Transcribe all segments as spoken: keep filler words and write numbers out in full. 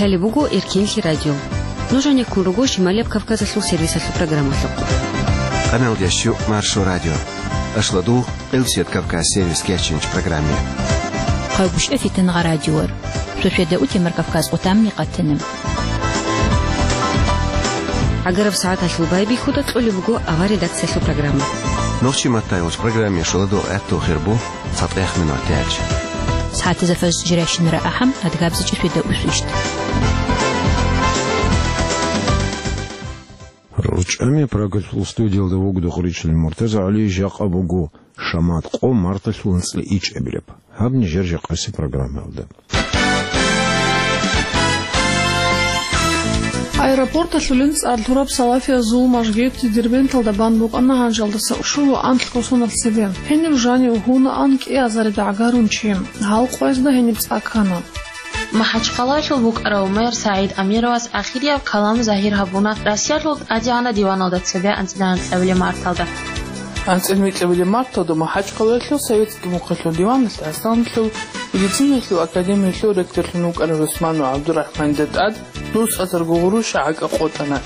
Лъалеб буго Эркенлъи радио. Нуж гьанеккун руго Шималияб Кавказалъул сервисалъул программалъухъ. Къаналдящу Маршо радио. Ашладул Къилсият Кавказ сервис кечинч программе. Хъайбушев Фитангъа радиор. Шошеда утемар Кавказ отамни къатана. Агараб сагӀаталъул байбихьуда кьолеб буго авар редакциялъул программа. Нохчи маттайолч программе шоладо гӀатту хирбу. ЦатӀех минут тяч. СагӀатизе фажр жирайщинара ахӀам, адгабзичӀе феда усвищт. РучӀами Прагалъул студиялда вугда гъуричил Муртаза ГӀали, жакъа буго шамат къо марталъул анцӀла ичӀабилеб. Гьаб нижер жакъаси программаялда. Аэропорталъулин цӀар лъураб салафиязул мажгит Дербенталда бан букӀана гьанжалдаса щуго анлъго соналъ цебе. Гьениб жанив гьунаан кӀиазарида гӀагарун чи. Гьал къоязда гьениб цӀа ккана. МахӀачхъалаялъул букӀарав мэр СагӀид Амировас ахирияб калам загьир гьабуна Россиялъул ТӀадегӀанаб диваналда цебе анцӀила анкьабилеб марталда. АнцӀила микьабилеб марталда МахӀачхъалаялъул Советский мухъалъул диваналъ Аслъанлъул медицинаялъул академиялъул ректорлъун вукӀарав ГӀусманов ГӀабдурахӀманида тӀад дус азарго гъурущ гӀакӀа къотӀана.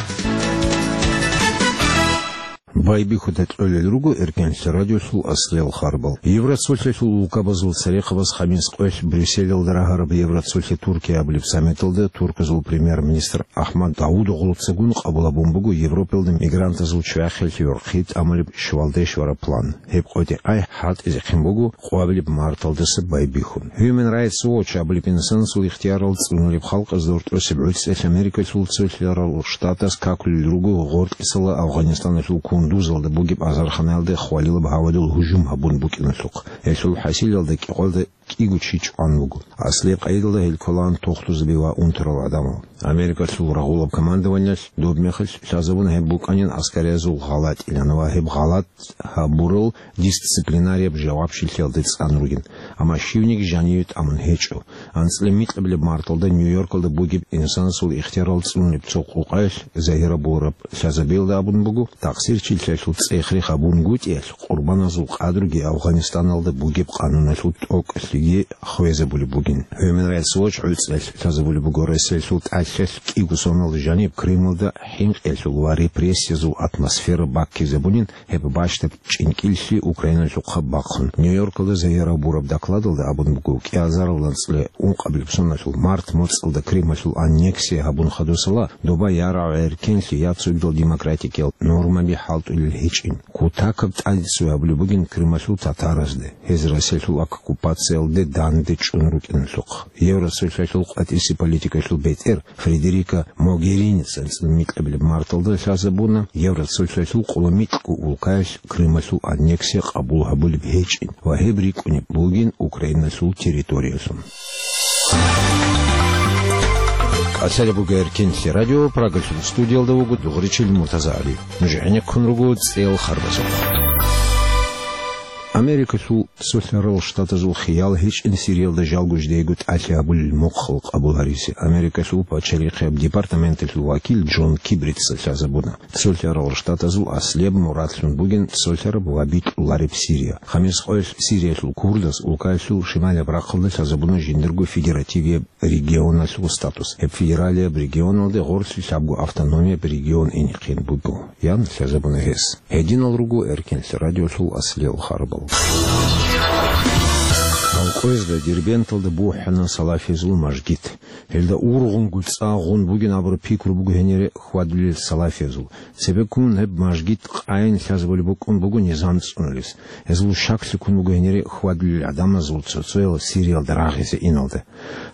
Байбихьуда кьолел руго Эркенлъи радиолъул аслиял харбал. Евроцолъиялъул улкабазул церехъабаз хамис къоялъ Брюсселалда рагьараб Евроцолъи Туркия абулеб саммиталда турказул премьер-министр Ахмад Давудоглуцагун къабул гьабун буго Европалда мигрантазул чвахиялъе гӀорхъи тӀамулеб щвалде щвараб план. Гьеб къотӀи-къай хӀалтӀизехъин буго къвабилеб марталдаса байбихьун. Human Rights Watch абулеб инсанасул ихтиярал цӀунулеб халкъазда гьоркьосеб гӀуцӀиялъ Америкалъул цолъарал штатас какулел руго гъоркьисала Афганистаналъул Кундузалда бугеб азарханаялда хвалилаб гьавадул гьужум гьабун букӀиналъухъ. Гьелъул хӀасилалда кӀикъоялда кӀиго чи чӀван буго. Аслияб къайдалда гьел кколаан тохтузаби ва унтарал гӀадамал. Америкалъул рагъулаб командованиялъ доб мехалъ лъазабуна гьеб букӀанин аскариязул гъалатӀилан ва гьеб гъалатӀ гьабурал дисциплинарияб жавабчилъиялде цӀан ругин, амма щивниги жаниве тӀамун гьечӀо. АнцӀила микьабилеб марталда Нью-Йоркалда бугеб инсанасул ихтиярал цӀунулеб цо къукъаялъ загьир гьабураб лъазабиялда абун буго, такъсирчилъиялъул цӀех-рех гьабунгутӀиялъ, къурбаназул къадруги Афганистаналда бугеб къануналъул тӀокӀалъиги хвезабулеб бугин. Human Rights Watch гӀуцӀиялъ лъазабулеб буго Россиялъул тӀалъалъ кӀиго соналда жаниб Крымалда хӀинкъиялъул ва репрессиязул атмосфера баккизабунин, гьеб бащдаб чӀинкӀиллъи Украиналъухъа бахъун. Нью-Йоркалда загьир гьабураб докладалда абун буго, кӀиазарал анцӀила ункъабилеб соналъул март моцӀалда Крымалъул аннексия гьабун хадусала, доба ярагӀ-гӀеркенлъи я цогидал демократикиял нормаби хӀалтӀулел гьечӀин. Кутакаб тӀадиццуй гьабулеб бугин Крымалъул татаразде, гьез Россиялъул оккупациялде данде чӀун рукӀиналъухъ. Евросоюзалъул къватӀиси политикаялъул бетӀер Фредерика Могерини цӀанцӀил микьабилеб марталда лъазабуна Евросоюзалъул къулумикьго улкаялъ Крымалъул аннексия къабул гьабулеб гьечӀин ва гьеб рикӀкӀунеб бугин Украиналъул территориялъун. КӀалъалеб буго Эркенлъи радио, Прагалъул студиялда вуго дугъричил Муртаза ГӀали. Нуж гӀенеккун руго цӀел харбазухъ. Америкалъул Цолъарал Штатазул хиял гьечӀин Сириялда жалго жидеего тӀалъи гьабулел мухъал къабул гьаризе. Америкалъул пачалихъияб департаменталъул вакил Джон Кибрица лъазабуна, Цолъарал Штатазул аслияб мурадлъун бугин цолъараб ва битӀулареб Сирия. Хамис къоялъ Сириялъул курдаз улкаялъул шималияб рахъалда лъазабуна жиндирго федеративияб регионалъул статус. Гьеб федералияб регионалде гъорлъи лъабго автономияб регион инехъин буго, ян лъазабуна гьес. Гьединал руго Эркенлъи радиолъул аслиял харбал. Гьал къоязда Дербенталда бухӀана салафиязул мажгит. Гьелда ургъунгу цӀа гъун бугин абураб пикру буго гьенире хьвадулел салафиязул. Цебеккун гьеб мажгит къайин лъазабулеб букӀун буго низам цӀунулес. Гьезул щаклъи ккун буго гьенире хьвадулел гӀадамазул цо-цоял Сириялда рагъизе иналда.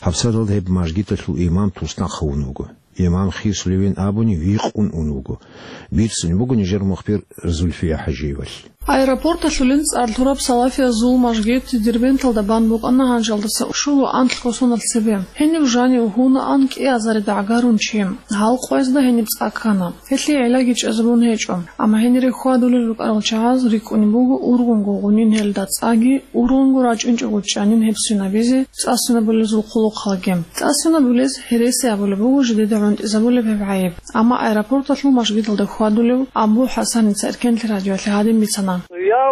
ГьабсагӀаталда гьеб мажгиталъул имам туснахъ гьавун вуго. Имам хисулевин абуни, викъун ун вуго. Бицунеб буго нижер мухбир Зульфия ХӀажиевалъ. Аэропорталъулин цӀар лъураб салафиязул мажгит Дербенталда бан букӀана гьанжалдаса щуго анлъго соналъ цебе. Гьениб жанив гьунаан кӀиазарида гӀагарун чи. Гьал къоязда гьениб цӀа ккана. Гьелъие гӀиллаги чӀезабун гьечӀо. Амма гьенире хьвадулел рукӀарал чагӀаз рикӀкӀунеб буго ургъунго гъунин гьел. Илда цӀаги ургъунго рачӀунчӀого чӀанин гьеб свинабизе, цӀа свинабулезул хъулухъалги. ЦӀа свинабулез гьереси абулеб буго жидеда гӀунтӀизабулеб гьеб гӀайиб. Амма аэропорталъул мажгиталда хьвадулев Абу ХӀасаница Эркенлъи радиоялъе гьадин бицана. Я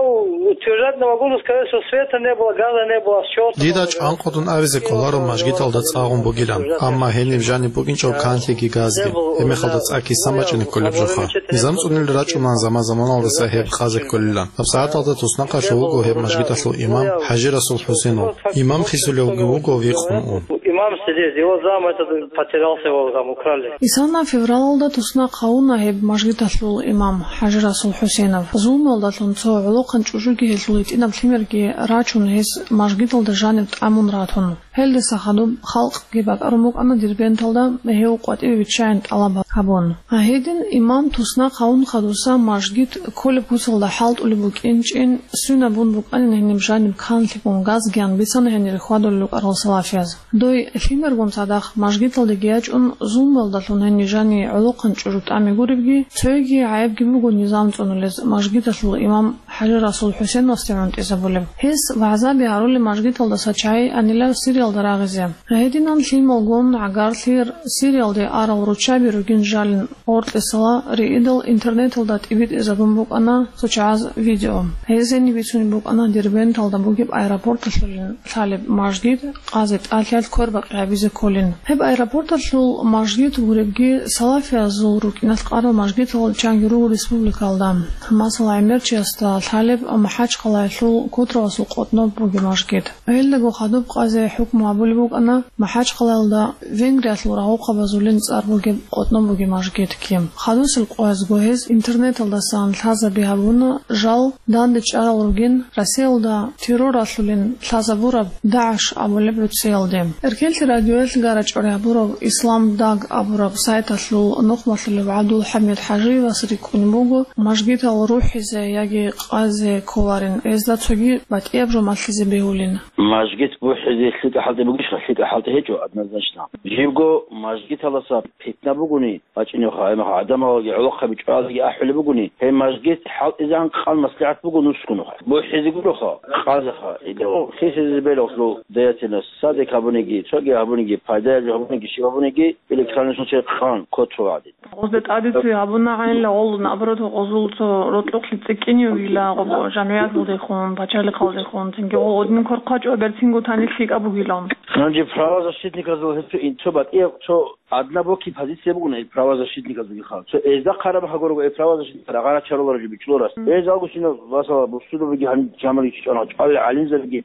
утверждать не могу сказать, что света не было, газа не было, счёт. Дида чӀванкъудун абизе кӀоларо мажгиталда цӀагъун бугилан, амма гьениб жаниб букӀинчӀо канлъиги газги. Гьебмехалда цӀа кисан бачӀине кколеб жоха. Низам цӀунел рачӀунан заман-заманалдаса гьеб къазе кколилан. ГьабсагӀаталда туснахъалъув вуго гьеб мажгиталъул имам ХӀажи Расул ХӀусенов. Имам хисулевги вуго викъун ун. Имам сидит, его зам этот потерялся, его там украли. Исана февралалда туснахъ гьавуна гьеб мажгиталъул имам ХӀажи Расул ХӀусенов. Зулмуялдалъун цо гӀолохъан чӀужуги гьелъул гьитӀинаб лъимерги рачун, гьес мажгиталда жаниб тӀамун ратун. Гьелдаса хадуб халкъги бакӀарун букӀана Дербенталда гьев къватӀиве виччайин тӀалаб гьабун. Гьедин имам туснахъ гьавун хадуса мажгит кколеб куцалда хӀалтӀулеб букӀинчӀин свинабун букӀанин гьениб жаниб канлъи бун газгиян бицана гьенир хьвадулел рукӀарал салафияз. Дой лъимергун цадахъ мажгиталдеги ячӀун, зулмуялдалъун гьенир жани гӀолохъан чӀужу тӀаме гуребги, цоги гӀайибги буго низам цӀунулез мажгиталъул имам ХӀажи Расул ХӀусеновасде гӀунтӀизабулеб. Гьес вагӀзаби гьарулеб мажгиталдаса чагӀи анилав Сириялда рагъизе. Гьединан лъималгун гӀагарлъи Сириялде арал руччаби ругин жалин, гъоркьисала риидал интернеталда тӀибитӀизабун букӀана цо чагӀаз видео. Гьезени бицунеб букӀана Дербенталда бугеб аэропорталъулин лъалеб мажгит къазе тӀалъиялъ квербакъи гьабизе кколин. Гьеб аэропорталъул мажгит гуребги, салафиязул рукӀиналъ къарал мажгитал чанги руго республикалда. Масала, гӀемерчиясда лъалеб МахӀачхъалаялъул Котравасул къотӀноб бугеб мажгит. Гьелдаго хадуб къазе хӀукму гьабулеб букӀана МахӀачхъалаялда Венгриялъул рагъухъабазулин цӀар бугеб къотӀноб бугеб мажгитги. Хадусел къоязго гьез интернеталдасан лъазаби гьабуна, жал данде чӀарал ругин, Россиялда терроралъулин лъазабураб ДАГӀШ абулеб гӀурцӀиялде. Эркенлъи радиоялъ гарачӀварай гьабурав Ислам Даг абураб сайталъул нухмалъулев ГӀабдулхӀамид ХӀажиевас рикӀкӀунеб буго мажгитал рухӀизе яги къазе кколарин, гьезда цоги батӀияб жо малъизе бегьулин. Мажгит бухӀизе лъикӀа хӀалтӀи бугищха? ЛъикӀа хӀалтӀи гьечӀо, однозначно. Живго мажгиталдаса питна бугони, бачӀинеха, гьемаха гӀадамалги гӀолохъаби чӀвалаги ахӀулеб бугони, гьеб мажгит хӀалтӀизегӀан къан маслигӀат буго нусгунухъ. БухӀизе гуроха, къазеха, гьелъул хисизе белалъул деятельность, садик гьабуниги, цоги гьабуниги, пайдаяб жо гьабуниги, щиб гьабуниги, или кканилъун чед къан ккоцо гӀадин. Гъозда тӀаде цо гьабуна гӀайилла гъолун, наоборот, гъозул цо рокьухълъи цӀикӀкӀиневила гъоб жамгӀияталдехун, пачалихъалдехун, цинги гъол гъодин квер хъвачӀо, гьаб цинго танил лъикӀаб бугилан. Гьанже правозащитниказул гьеб цо ин-, цо батӀияб, цо адна бокин позиция бугони ил правозащитниказулгиха. Цо эзда хъараб гьагурого ил правозащитникал рагъара чаруларо жо бичӀчӀуларас. Гьез алгосинал, масала, бусурбабиги гьаниб жамалги чӀана, чӀвали гӀалимзабиги,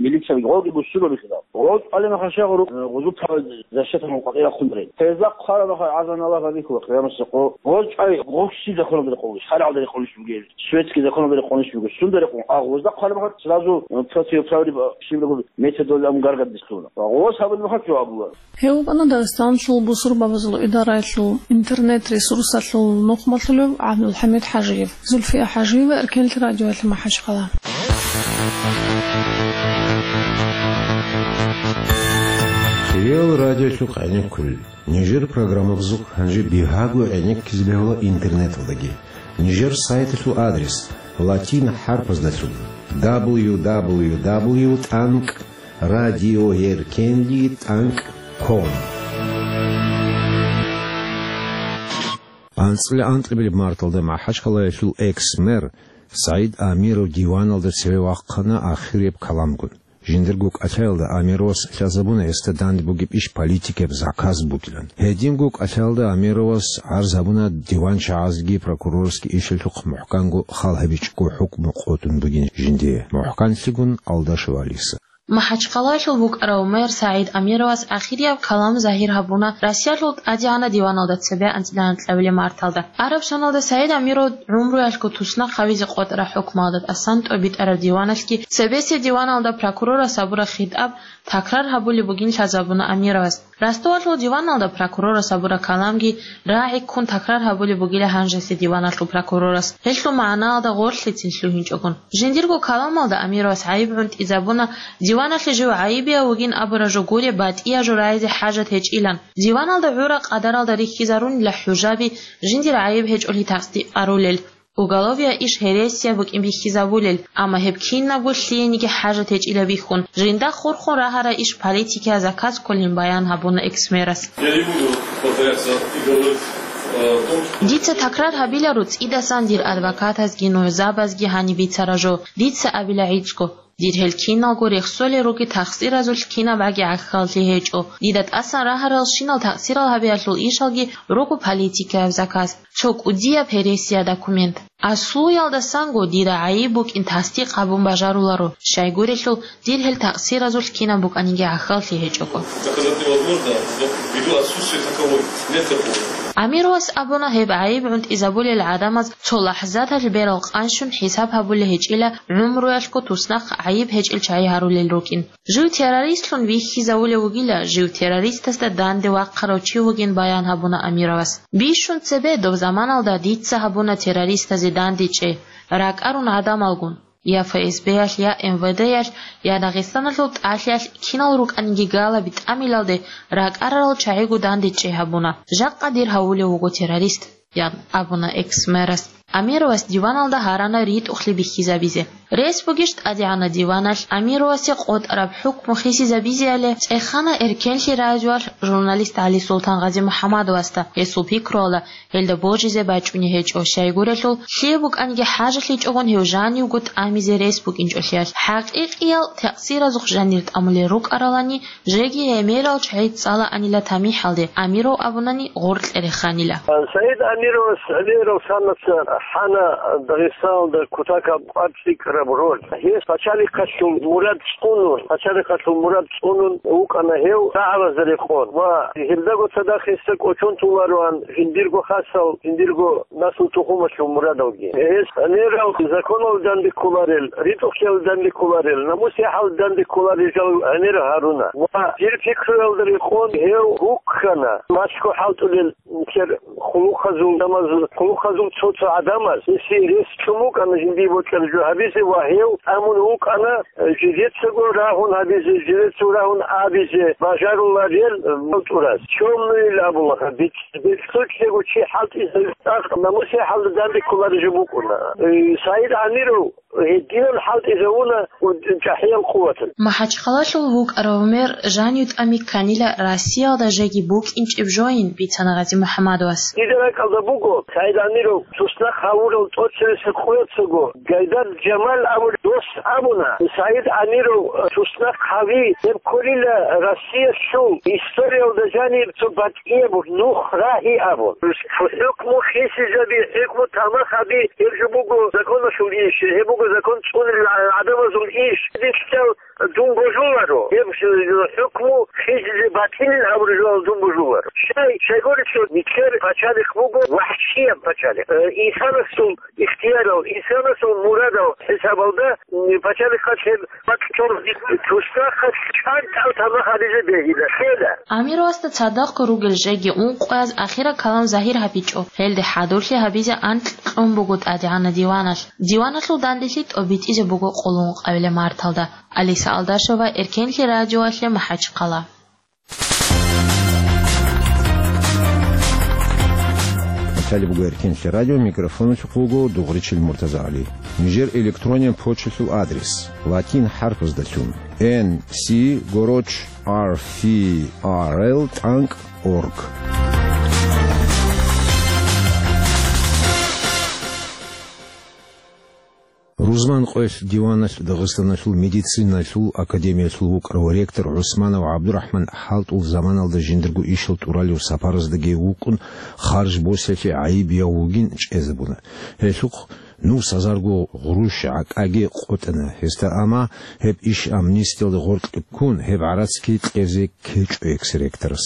милицаби, гъолги бусурбаби хирал. Гъоз чӀвали мехалъ гъуру-, гъузул права защитан къватӀира хъунарин. Гьезда хъвараб мехалъ гӀазан Аллагь гьабихьула къиямасеб къо. Гъоз чӀвай гъоси законалда рекъолищ, шаригӀалда рекъолищ бугел, светский законалда рекъолищ бугел, сунда рекъон. А гъозда хъвараб мехалъ сразу, э, противоправный, э, щиб буго, методалда ам гаргадис лъугьуна. Ва гъоз гьабулеб мехалъ жо абула. Гьев вукӀана Дагъистаналъул бусурбабазул идараялъул интернет-ресурсалъул нухмалъулев ГӀабдулхӀамид ХӀажиев. Зульфия ХӀажиева, Эркенлъи радиоялъе, МахӀачхъала. Хириял радиолъухъ гӀенеккулел. Нижер программабазухъ гьанже бигьаго гӀенеккизе бегьула интернеталдаги. Нижер сайталъул адрес латин хӀарпаздалъун: дабл ю дабл ю дабл ю тӀанкӀ радиоеркенлъи тӀанкӀ ком. АнцӀила анкьабилеб марталда МахӀачхъалаялъул экс-мэр СагӀид Амиров диваналда цеве вахъана ахирияб каламгун. Жиндирго кӀалъаялда Амировас лъазабуна гьесда данде бугеб иш политикияб заказ бугилан. Гьединго кӀалъаялда Амировас гӀарз гьабуна диванчагӀазги прокурорасги ишалъухъ мухӀканго хал гьабичӀого хӀукму къотӀун бугин жиндие, мухӀканлъигун Алдашев Алиса. МахӀачхъалаялъул букӀарав мэр СагӀид Амировас ахирияб калам загьир гьабуна Россиялъул ТӀадегӀанаб диваналда цебе анцӀила анкьабилеб марталда. Араб соналда СагӀид Амиров гӀумруялъго туснахъ гьавизе къотӀараб хӀукмалда тӀасан тӀобитӀараб диваналъги цебесеб диваналда прокурорас гьабураб хитӀаб такрар гьабулеб бугин лъазабуна Амировас. Ростовалъул диваналда прокурорас гьабураб каламги рагӀи ккун такрар гьабулеб бугила гьанжеса диваналъул прокурорас, гьелъул магӀнаялда гъорлъицин лъугьинчӀогун. Жиндирго каламалда Амировас гӀайиб гӀунтӀизабуна, диваналъе жив гӀайибияв вугин абураб жо гуре батӀияб жо рагӀизе хӀажат гьечӀилан. Диваналда гӀураб къадаралда рихьизарунила хӀужаби, жиндир гӀайиб гьечӀолъи тасдикъарулел. Уголовия иш гьересия букӀин бихьизабулел, амма гьеб кинабго лъиениги хӀажат гьечӀила бихьун, жинда хурхун рагьарай иш политикияз заказ кколин баян гьабуна экс-мэрас. Я не буду повторяться и говорить, э, о том, что... Дица такрар гьабиларо, цӀидасан дир адвокатазги нугӀзабазги гьаниб бицара жо, дица абила гӀицӀго. Дир гьел киналго рехсолел руги, такъсиразулъ кинабгӀаги гӀахьаллъи гьечӀо. Дида тӀасан рагьарал щинал такъсирал гьабиялъул ишалги руго политикаяб заказ, цо кӀудияб гьересия документ. Аслуялдасанго дида гӀайиб букӀин тасдикъ гьабун бажаруларо, щайгурелъул дир гьел такъсиразулъ кинаб букӀаниги гӀахьаллъи гьечӀого. Доказать невозможно, но ввиду отсутствия таковой, нет такого. Амировас абуна, гьеб гӀайиб гӀунтӀизабулел гӀадамаз цо лахӀзаталъ берал къанщун хӀисаб гьабулеб гьечӀила, гӀумруялъго туснахъ гӀайиб гьечӀел чагӀи гьарулел рукӀин. Жив террористлъун вихьизавулев вугила, жив террористасда данде вахъарав чи вугин баян гьабуна Амировас. Бищун цебе доб заманалда дица гьабуна террористазе дандечӀей, ракӀарун гӀадамалгун. Я ФСБ-ялъ, я МВД-ялъ, я Дагъистаналъул тӀалъиялъ кинал рукӀаниги галаби тӀамилалде ракӀарарал чагӀиго дандечӀей гьабуна. Жакъа дир гьавулев вуго террорист, ян абуна экс-мэрас. Амировас диваналда гьарана ритӀухълъи бихьизабизе. Рес бугищ ТӀадегӀанаб диваналъ Амировасе къотӀараб хӀукму хисизабизеяли, цӀехана Эркенлъи радиоялъ журналист ГӀалисултан Гъазимухьамадовасда, гьесул пикруялда, гьелда божизе бачӀунеб гьечӀо, щайгурелъул, лъие букӀаниги хӀажалъичӀогун гьев жанивго тӀамизе рес букӀинчӀолъиялъ. ХӀакъикъиял такъсиразухъ жанир тӀамулел рукӀаралани, жеги гӀемерал чагӀи цӀалаанила тамихӀалде, Амиров абунани гъоркье реханила. Саид Амировас гӀемерал санаца хӀана Дагъистаналда кутакаб къварц рикӀкӀараб роль. Гьес пачалихъалъул мурад цӀунун, пачалихъалъул мурад цӀунун вукӀана гьев рагӀабазда рекъон ва гьелдаго цадахъ гьесда кӀочон толароан жиндирго хасал, жиндирго наслу-тухумалъул мурадалги. Гьес гӀемерал законалда данде кколарел, ритӀухълъиялда данде кколарел, намус-яхӀалда данде кколарел жал гӀемер гьаруна. Ва дир пикруялда рекъон гьев гуккана, малъго хӀалтӀулел нилъер хъулухъазул, гӀадамаз-, хъулухъазул цо-цо гӀадамаз гьесие рес чӀун букӀана жиндие бокьараб жо гьабизе ва гьев тӀамун вукӀана, э, жидецаго рагьун гьабизе, жидецаго рагьун абизе бажаруларел, э, хӀалтӀураз. Чёмный абула гьаб, бецӀлъучего чи хӀалтӀизабизе цӀакъ намус-яхӀалда данде кколареб жо букӀуна. Э, Саид Амиров гьединал хӀалтӀизавуна чӀахӀиял къуваталъ. МахӀачхъалалъул вукӀарав мэр жанив тӀами кканила Россиялда жеги букӀинчӀеб жоян, бицана Гъазимухьамадовас. Дида ракӀалда буго, Саид Амиров туснахъ гьавурал тӀоцебесеб къояцаго Гайдар Жамал абулев дос абуна, Саид Амиров туснахъ гьави, гьеб кколила Россиялъул историялда жаниб цо батӀияб нух рагьи абун. ХӀукму хисизаби, хӀукму тамах гьаби, гьеб жо буго законалъул иш, гьеб буго закон цӀунел гӀадамазул иш. Дилъал дун божуларо, гьеб хӀукму хисизе батилин абураб жоялъ дун божуларо. Щай, щайгурелъул нилъер пачалихъ буго вахӀшияб пачалихъ. Э, инсанасул ихтиярал, инсанасул мурадал хӀисабалда, м, пачалихъалъ гьеб бакӀчӀун туснахъалъ чӀантӀал тамах гьабизе бегьила. Лъела. Амировасда цадахъго ругел жеги ункъояз ахираб калам загьир гьабичӀо. Гьелде хӀадурлъи гьабизе анкь кьун буго ТӀадегӀанаб диваналъ. Диваналъул данделъи тӀобитӀизе буго къуллун къабилеб марталда. Алиса Алдашева, Эркенлъи радиоялъе, МахӀачхъала. Цалиб буго Эркенлъи радио, микрофоналъухъ вуго Дугъричил МуртазагӀали. Нижер электрониян почталъул адрес: латин хӀарпаздалъун, Н С гороч ар фи ар эл тӀанкӀ орг. Рузман къоялъ диваналъ Дагъистаналъул медициналъул академиялъул вукӀарав ректор ГӀусманов ГӀабдурахӀман хӀалтӀул заманалда жиндирго ишал тӀуралев сапараздаги вукӀун, харж босиялъе гӀайибияв вугин чӀезабуна. Гьелъухъ нугӀ сазарго гъурущ гӀакӀаги къотӀана гьесда, амма гьеб иш амнистиялда гъоркье ккун, гьеб гӀарацги кьезе ккечӀо экс-ректорас.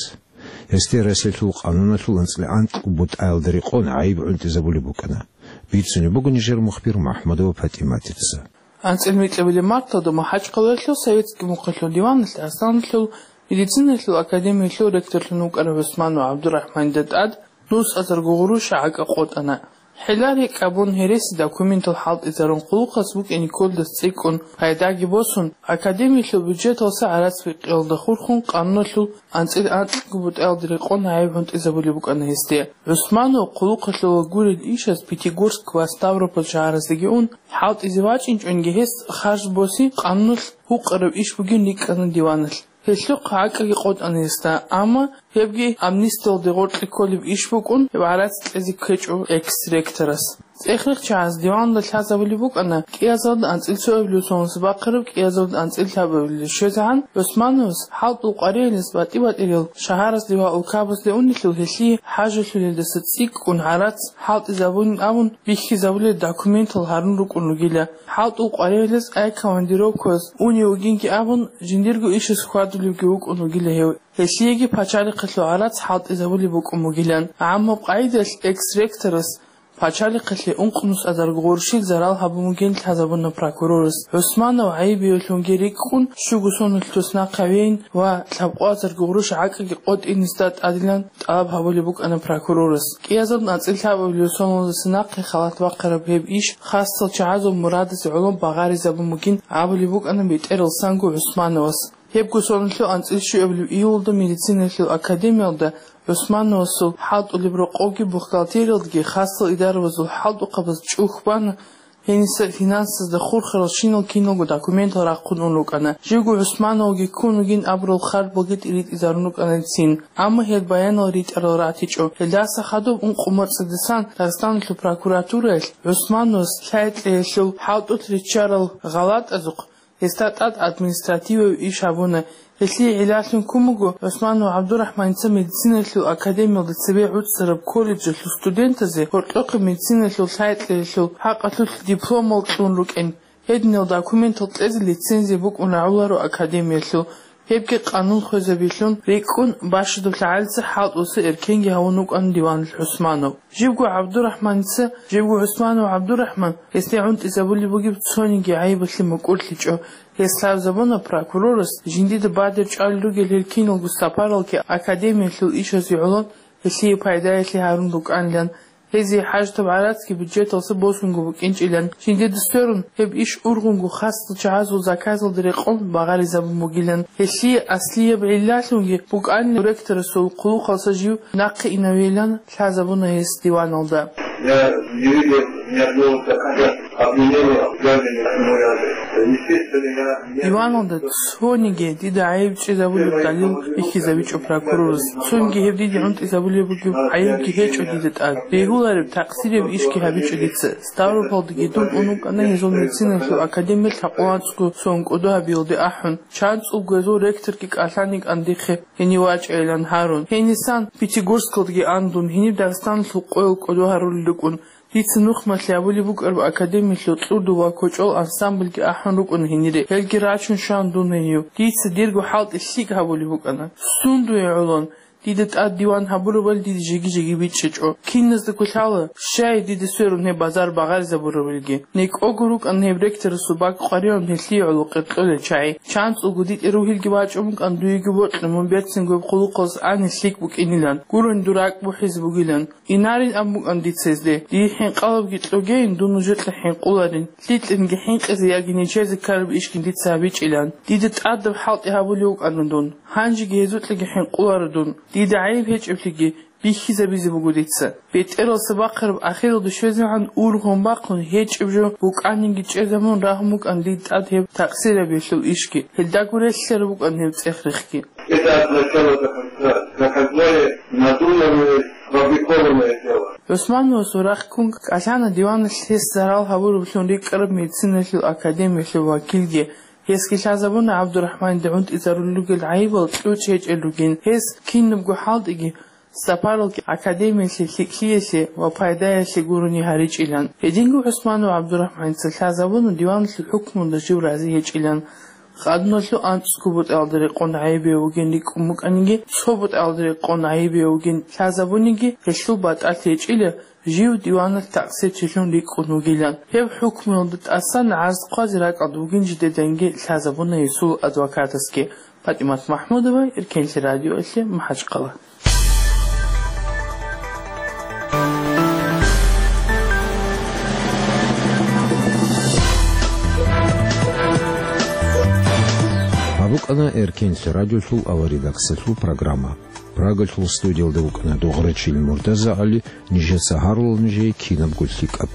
Гьесде Россиялъул къануналъул анцӀила анкьго бутӀаялда рекъон гӀайиб гӀунтӀизабулеб букӀана. Бицунеб буго нижер мухбир МухӀамадова ПатӀиматица. АнцӀила микьабилеб марталда МахӀачхъалалъул советский мухъалъул диваналъ Асланалъул медициналъул академиялъул ректорлъун вукӀарав ГӀусманов ГӀабдурахӀманида тӀад нугӀ сазарго гъурущ гӀакӀа къотӀана. ХӀилла-рекӀкӀ абун, гьереси документал хӀалтӀизарун, къулухъалъ букӀине кколдаса цӀикӀкӀун, пайдаги босун, академиялъул бюджеталъа гӀарац бикъиялда хурхун, къануналъул анцӀил анкьго бутӀаялда рекъон гӀайиб гӀунтӀизабулеб букӀана гьесде. ГӀусманов къулухъалъула гурел ишаз Пятигорск ва Ставрополь шагьараздаги ун, хӀалтӀизе вачӀинчӀонги гьес харж боси, къануналъ гьукъараб иш бугин рикӀкӀана диваналъ. Гьелъухъ гӀакӀаги къотӀана гьесда, амма гьебги амнистиялде гъоркье кколеб иш букӀун, гьеб гӀарац кьезе ккечӀо экс-ректорас. ЦӀех-рехчагӀаз диваналда лъазабулеб букӀана кӀиазалда анцӀил цоабилеб соналдаса бахъараб кӀиазалда анцӀил лъабабилеб щвезегӀан ГӀусмановас хӀалтӀул къваригӀелас батӀи-батӀиял шагьаразде ва улкабазде унелъул гьелъие хӀажалъулелдаса цӀикӀкӀун гӀарац хӀалтӀизабунин абун бихьизабулел документал гьарун рукӀун ругила. ХӀалтӀул къваригӀелас авиакомандировкаялъ унев вугинги абун, жиндирго ишас хьвадулевги вукӀун вугила гьев. Гьелъиеги пачалихъалъул гӀарац хӀалтӀизабулеб букӀун бугилан. ГӀаммаб къагӀидалъ экс-ректорас пачалихъалъе ункънусазарго гъурущил зарал гьабун бугин лъазабуна прокурорас. ГӀусманов гӀайибияв вугевлъунги рикӀкӀун, щуго соналъ дос нахъа вейин ва лъабкъоязарго гъурущ гӀакӀаги къотӀин гьесда тӀадилан тӀалаб гьабулеб букӀана прокурорас. КӀиазаб анцӀил лъабабилеб соналдаса нахъе халат бахъараб гьеб иш хасал чагӀазул мурадазе гӀоло багъаризабун бугин абулеб букӀана бетӀералсанго ГӀусмановас. Гьебго соналъул анцӀил щуабилеб июлалда медициналъул академиялда ГӀусмановасул хӀалтӀулеб рокъовги бухгалтериялдаги хасал идаравазул хӀалтӀухъабаз чӀухь бана, гьениса финансазда хурхарал щинал киналго документал рахъун ун рукӀана. Живго ГӀусмановги ккун вугин абурал харжбалги тӀиритӀизарун рукӀана цин, амма гьел баянал ритӀарал ратичӀо. Гьелдаса хадуб ункъо моцӀидасан Дагъистаналъул прокуратураялъ ГӀусмановас лъай-кьеялъул хӀалтӀулъ риччарал гъалатӀазухъ гьесда тӀад административав иш гьабуна. Гьелъие гӀиллалъун ккун буго ГӀусманов ГӀабдурахӀманица медициналъул академиялда цебе гӀуцӀараб колледжалъул студентазе гьоркьохъеб медициналъул лъай-кьеялъул хӀакъалъулъ дипломал кьун рукӀин. Гьединал документал кьезе лицензия букӀун рагӀуларо академиялъул. Гьебги къанун хвезабилъун рикӀкӀун бащадаб лъагӀалица хӀалтӀуса эркенги гьавун вукӀана диваналъ ГӀусманов. Живго ГӀабдурахӀманица, живго ГӀусманов ГӀабдурахӀман, гьесде гӀунтӀизабулеб бугеб цониги гӀайибалъе мукӀурлъичӀо. Гьес лъазабуна прокурорас, жиндида бадер чӀвалел ругел гьел киналго сапаралги академиялъул ишазе гӀоло, гьелъие пайдаялъе гьарун рукӀанилан. Гьезие хӀажатаб гӀарацги бюджеталъа босунго букӀинчӀилан, жиндида сверун, гьеб иш ургъунго хасал чагӀазул заказалда рекъон багъаризабун бугилан. Гьелъие аслияб гӀиллалъунги букӀанила ректорасул хъулухъалъа жив нахъе инавилан лъазабуна гьес диваналда. Я не видел ни одного заказа обвинения в данной, ну, я, естественно, я не... Диваналда цониги дида гӀайиб чӀезабулеб далил бихьизабичӀо прокурорас. Цониги гьеб дида гӀунтӀизабулеб бугеб гӀайибги гьечӀо дида тӀад. Бегьулареб, такъсирияб ишги гьабичӀо дица. Ставропалдаги дун ун вукӀана гьезул медициналъул академиялъ лъабкъоялда анцӀго сон кӀодо гьабиялде ахӀун. ЧанцӀулго гьезул ректорги кӀалъан йикӀан дихъе гьенив вачӀайилан гьарун. Гьенисан Пятигорскалдаги ан дун, гьениб Дагъистаналъул къоял кӀодо гьарулел рукӀун. Дица нухмалъи гьабулеб букӀараб академиялъул кьурдул ва кочӀол ансамбльги ахӀун рукӀун гьенире. Гьелги рачун щван дун гьенив. Дица дирго хӀалтӀи лъикӀ гьабулеб букӀана. Сундуе гӀолон, дида тӀад диван гьабурабали дида жеги-жеги бичӀчӀичӀо. Киназдаго лъала, щай дида сверун гьеб базар багъаризабурабилги. НекӀого рукӀана гьеб ректорасул бакӀ къваригӀун гьелъие гӀоло къеркьолел чагӀи. ЧанцӀулго дитӀер ругьилги бачӀун букӀана дуеги бокьун мун берцинго гьеб хъулухъалъ ани лъикӀ букӀинилан. Гурони дур ракӀ бухӀизе бугилан. Инарин абун букӀана дица гьезде. Дие хӀинкъалабги кьогейин, дун нужее хӀинкъуларин. ЛъикӀлъинги хӀинкъизе яги нечезе ккараб ишгин дица гьабичӀилан. Дида тӀадаб хӀалтӀи гьабулев вукӀана дун. Гьанжеги гьезукьаги хӀинкъуларо дун. Дида гӀайиб гьечӀеблъиги бихьизабизе буго дица. БетӀералса бахъараб ахиралда щвезегӀан ургъун бахъун гьечӀеб жо букӀанинги чӀезабун рагьун букӀана дида тӀад гьеб такъсирабиялъул ишги. Гьелдаго релълъараб букӀана гьеб цӀех-рехги. Это от начала до конца. Заказное, надуманное, сфабрикованное дело. ГӀусмановасул рахъ ккун кӀалъана диваналъ гьес зарал гьабураблъун рикӀкӀараб медициналъул академиялъул вакилги. Гьесги лъазабуна ГӀабдурахӀманида гӀунтӀизарулел ругел гӀайибал кьучӀ гьечӀел ругин. Гьес кинабго хӀалтӀиги, сапаралги академиялъе лъикӀлъиялъе ва пайдаялъе гурони гьаричӀилан. Гьединго ГӀусманов ГӀабдурахӀманица лъазабуна диваналъул хӀукмуялда жив рази гьечӀилан. Къануналъул анцӀго бутӀаялда рекъон гӀайибияв вугин рикӀкӀун букӀаниги, цо бутӀаялда рекъон гӀайибияв вугин лъазабуниги, гьелъул батӀалъи гьечӀила, жив диваналъ такъсирчилъун рикӀкӀун вугилан. Гьеб хӀукмуялда тӀасан гӀарз хъвазе ракӀалда вугин жидеданги лъазабуна гьесул адвокатасги. ПатӀимат МахӀмудова, Эркенлъи радиоялъе, МахӀачхъала. БукӀана Эркенлъи радиолъул аваридаксалъул программа. Прагалъул студиялда вукӀана Дугърачил МуртазагӀали, нижеца гьарулел нижее кинабго лъикӀаб.